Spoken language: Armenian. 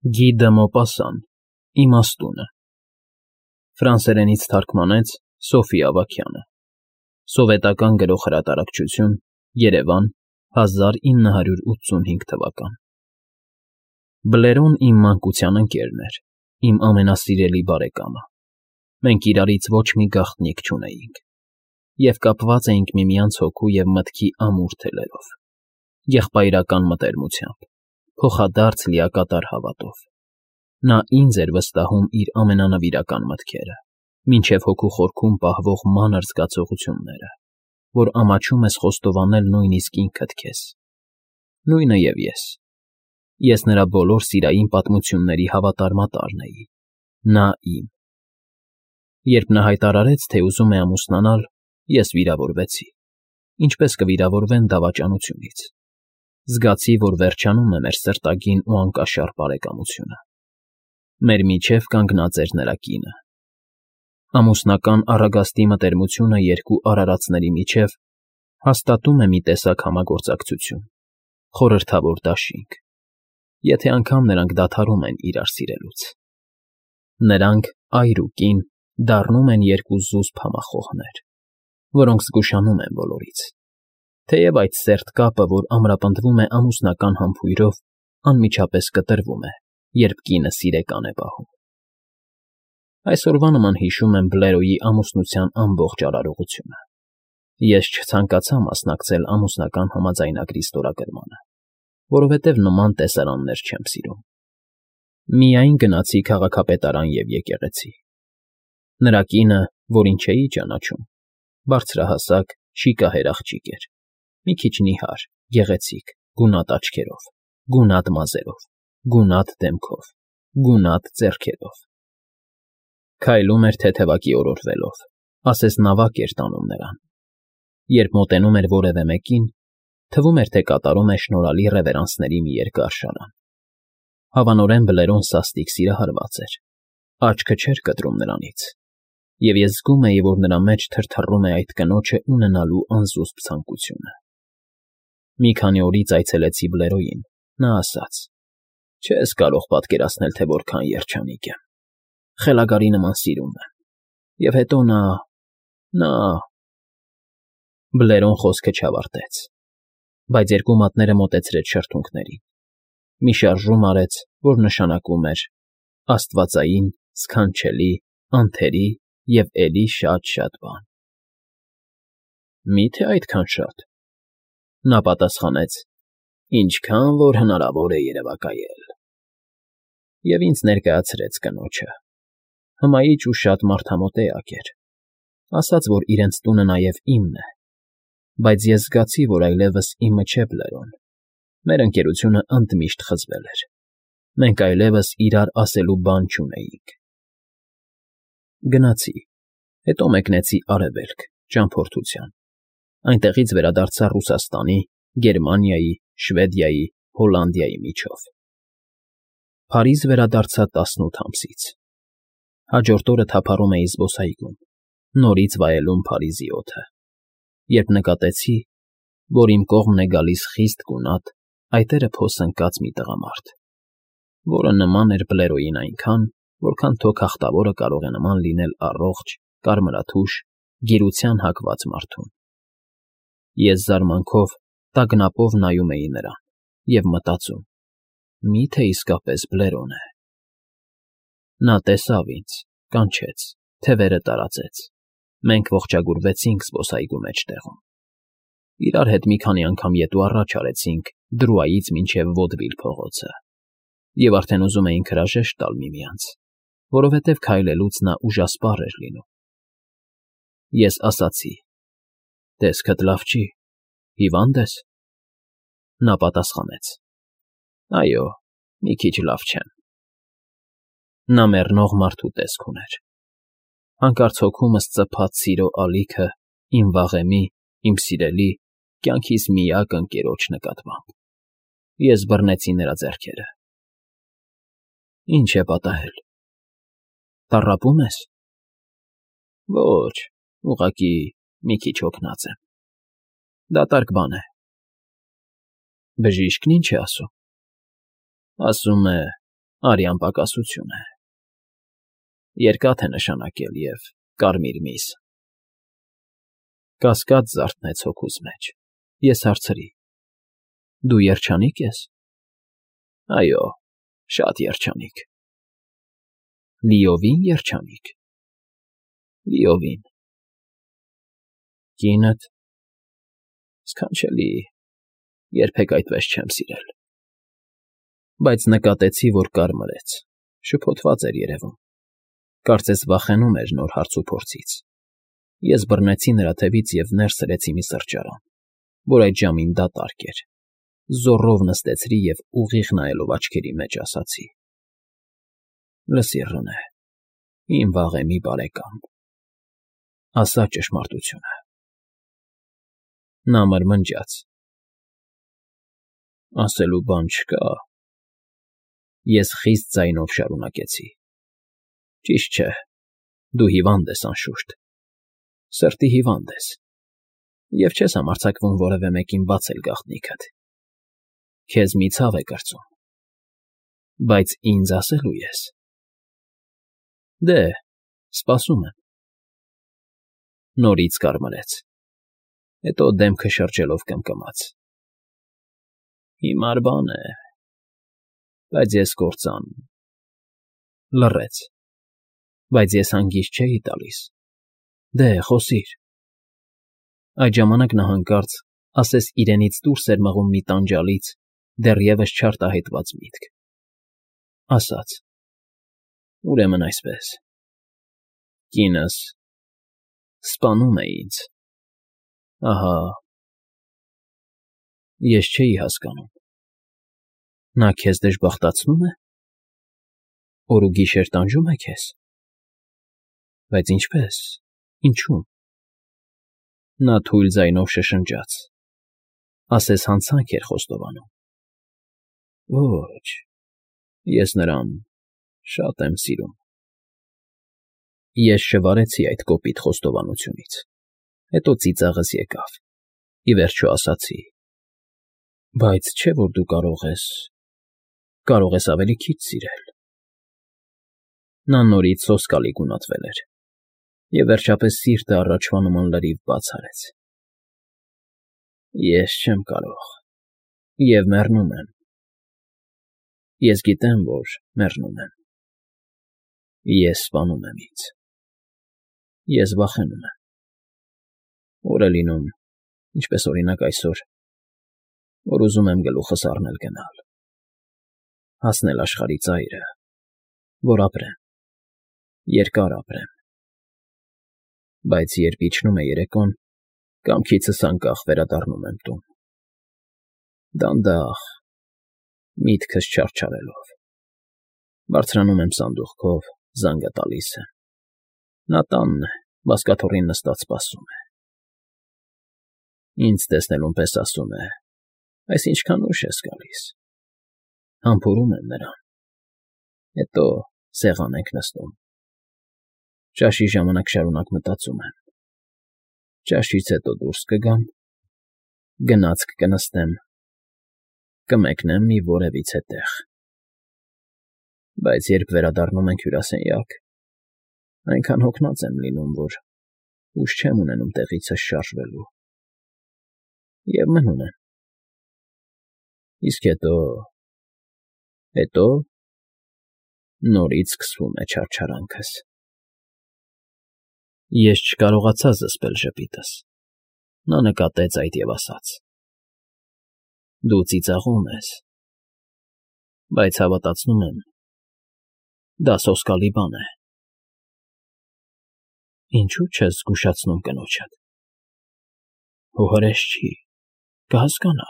Գի դը Մոպասան, Իմաստունը Ֆրանսերենից թարգմանեց Սոֆի Ավագյանը Սովետական գրող֊հրատարակչություն Երևան 1985 թվական Բլերոն իմ մանկության ընկերն էր, իմ ամենասիրելի բարեկամը, մենք իրարից ոչ մի գաղտնիք չունեինք և կապված էինք միմյանց հոգու և մտքի ամուր թելերով, եղբայրական մտերմությամբ, փոխադարձ լիակատար հավատով, նա ինձ էր վստահում իր ամենանվիրական մտքերը, մինչև հոգու խորքում պահվող մանր զգացողությունները, որ ամաչում ես խոստովանել նույնիսկ ինքդ քեզ, նույնը և ես նրա բոլոր սիրային պատմությունների հավատարմատարն էի, նա իմ, երբ նա հայտարարեց, թե ուզում է ամուսնանալ, ես վիրավորվեցի, ինչպես կվիրավորվեն դավաճանությունից, զգացի, որ վերջանում է մեր սրտագին ու անկաշառ բարեկամությունը, մեր միջև կանգնած էր նրա կինը, ամուսնական առագաստի մտերմությունը երկու արարածների միջև հաստատում է մի տեսակ համագործակցություն, խորհրդավոր դաշինք, եթե անգամ նրանք դադարում են իրար սիրելուց, նրանք այր ու կին դառնում են երկու զուսպ համախոհներ, որոնք զգուշանում են բոլորից, թեև այդ սերտ կապը, որ ամրապնդվում է ամուսնական համբույրով, անմիջապես կտրվում է, երբ կինը սիրեկան է պահում։ Այսօրվա նման հիշում եմ Բլերոյի ամուսնության ամբողջ արարողությունը։ Ես չցանկացա մասնակցել ամուսնական համաձայնագրի ստորագրմանը, որովհետև նման տեսարաններ չեմ սիրում։ Միայն գնացի քաղաքապետարան և եկեղեցի։ Նրա կինը, որին չէի ճանաչում, բարձրահասակ, շիկահեր աղջիկ էր, մի քիչ նիհար, գեղեցիկ, գունատ աչքերով, գունատ մազերով, գունատ դեմքով, գունատ ձեռքերով։ Քայլում էր թեթևակի օրորվելով, ասես նավակ էր տանում նրան։ Երբ մոտենում էր որևէ մեկին, թվում էր, թե կատարում է շնորհալի ռևերանսների մի երկար շարան։ Հավանորեն Բլերոն սաստիկ սիրահարված էր, աչքը չէր կտրում նրանից, և ես զգում էի, որ նրա մեջ թրթռում է այդ կնոջը ունենալու անզուսպ ցանկությունը։ Մի քանի օրից այցելեցի Բլերոյին, նա ասաց. «Չես կարող պատկերացնել, թե որքան երջանիկ եմ, խելագարի նման սիրում եմ, և հետո նա… Բլերոն խոսքը չավարտեց, բայց երկու մատները մոտեցրեց շրթունքներին, մի շարժում արեց, որ նշանակում էր աստվածային, սքանչելի, անթերի և էլի շատ բան։ Մի՞թե այդքան շատ։ Նա պատասխանեց. «Ինչքան որ հնարավոր է երևակայել»։ Եվ ինձ ներկայացրեց կնոջը, հմայիչ ու շատ մարդամոտ էակ էր, ասաց, որ իրենց տունը նաև իմն է, բայց ես զգացի, որ այլևս իմը չէ Բլերոն, մեր ընկերությունը ընդմիշտ խզվել էր, մենք այլևս իրար ասելու բան չունեինք։ Գնացի, հետո մեկնեցի Արևելք, ճամփորդության, այնտեղից վերադարձա Ռուսաստանի, Գերմանիայի, Շվեդիայի, Հոլանդիայի միջով։ Փարիզ վերադարձա 18 ամսից։ Հաջորդ օրը թափառում էի զբոսայգում, նորից վայելում Փարիզի օդը, երբ նկատեցի, որ իմ կողմն է գալիս խիստ գունատ, այտերը փոս ընկած մի տղամարդ, որը նման էր Բլերոյին այնքան, որքան թո քաղտավորը կարող է նման լինել առողջ, կարմրաթուշ, գիրության հակված մարդուն։ Ես զարմանքով, տագնապով նայում էի նրան և մտածում. միթե իսկապես Բլերոն է։ Նա տեսավ ինձ, կանչեց, թևերը տարածեց, մենք ողջագուրվեցինք զբոսայգու մեջտեղում։ Իրար հետ մի քանի անգամ ետ ու առաջ արեցինք Դրուայից մինչև Վոդվիլ փողոցը, և արդեն ուզում էինք հրաժեշտ տալ միմյանց, որովհետև քայլելուց նա ուժասպառ էր լինում։ Ես ասացի. «Տեսքդ լավ չի, հիվա՞նդ ես»։ Նա պատասխանեց. «Այո, մի քիչ լավ չեմ»։ Նա մեռնող մարդու տեսք ուներ։ Հանկարծ հոգումս ծփաց սիրո ալիքը իմ վաղեմի, իմ սիրելի, կյանքիս միակ ընկերոջ նկատմամբ։ Ես բռնեցի նրա ձեռքերը։ Ինչ է պատահել։ Տառապո՞ւմ ես։ Ոչ, ուղղակի մի քիչ հոգնած եմ։ Դատարկ բան է։ Բժիշկն ինչ է ասում։ Ասում է, Արյան պակասություն է։ Երկաթ է նշանակել և կարմիր միս։ Կասկած զարթնեց հոգուս մեջ։ Ես հարցրի. դու երջանիկ ես։ Այո, շատ երջանիկ։ Լիովին երջանիկ։ Լիովին։ Կինդ։ Սքանչելի, երբեք այդպես չեմ սիրել։ Բայց նկատեցի, որ կարմրեց, շփոթված էր երևում, կարծես վախենում էր նոր հարցուփորձից։ Ես բռնեցի նրա թևից և ներս սրեցի մի սրճարան, որ այդ ժամին դատարկ էր, զոռով նստեցրի և ուղիղ նայելով աչքերի մեջ ասացի. լսիր, Ռոնե, իմ վաղեմի բարեկամ, ասա ճշմարտությունը։ Նա մրմնջաց. ասելու բան չկա։ Ես խիստ ձայնով շարունակեցի. ճիշտ չէ, դու հիվանդ ես, անշուշտ, սրտի հիվանդ ես, և չես համարձակվում որևէ մեկին բացել գաղտնիքդ։ Քեզ մի ցավ է կրծում, բայց ինձ ասելու ես։ Դե, սպասում եմ։ Նորից կարմրեց, հետո դեմքը շրջելով կմկմաց. հիմար բան է, բայց ես կործան… Լռեց, բայց ես հանգիստ չէի տալիս. դե, խոսիր։ Այդ ժամանակ նա հանկարծ, ասես իրենից դուրս էր մղում մի տանջալից, դեռևս չարտահայտված միտք, ասաց. ուրեմն այսպես. կինս սպանում է ինձ, ահա… Ես չէի հասկանում. նա քեզ դժբախտացնո՞ւմ է, օր ու գիշեր տանջում է քեզ… Բայց ինչպե՞ս, ինչու՞… Նա թույլ ձայնով շշնջաց, ասես հանցանք էր խոստովանում. ոչ, ես նրան շատ եմ սիրում… Ես շվարեցի այդ կոպիտ խոստովանությունից, հետո ծիծաղս եկավ, ի վերջո ասացի. բայց չէ՞ որ դու կարող ես ավելի քիչ սիրել… Նա նորից սոսկալի գունատվել էր, և վերջապես սիրտը առաջվա նման լրիվ բաց արեց. ես չեմ կարող, և մեռնում եմ… Ես գիտեմ, որ մեռնում եմ… Ես սպանում եմ ինձ… Ես վախենում եմ… օր է լինում, ինչպես օրինակ այսօր, որ ուզում եմ գլուխս առնել գնալ… հասնել աշխարհի ծայրը, որ ապրեմ, երկար ապրեմ… Բայց երբ իջնում է երեկոն, կամքիցս անկախ վերադառնում եմ տուն… դանդաղ, միտքս չարչարելով… Բարձրանում եմ սանդուղքով, զանգը տալիս եմ… Նա տանն է, բազկաթոռին նստած սպասում է… Ինձ տեսնելուն պես ասում է. այս ինչքան ուշ ես գալիս… Համբուրում եմ նրան… Հետո սեղան ենք նստում… Ճաշի ժամանակ շարունակ մտածում եմ. ճաշից հետո դուրս կգամ, գնացք կնստեմ, կմեկնեմ մի որևիցե տեղ… Բայց երբ վերադառնում ենք հյուրասենյակ, այնքան հոգնած եմ լինում, որ ուժ չեմ ունենում տեղիցս շարժվելու… և մնում եմ… Իսկ հետո… նորից սկսվում է չարչարանքս… Ես չկարողացա զսպել ժպիտս… Նա նկատեց այդ և ասաց. դու ծիծաղում ես… բայց հավատացնում եմ, դա սոսկալի բան է… Ինչո՞ւ չես զգուշացնում կնոջդ… Հո հրես չի, կհասկանա…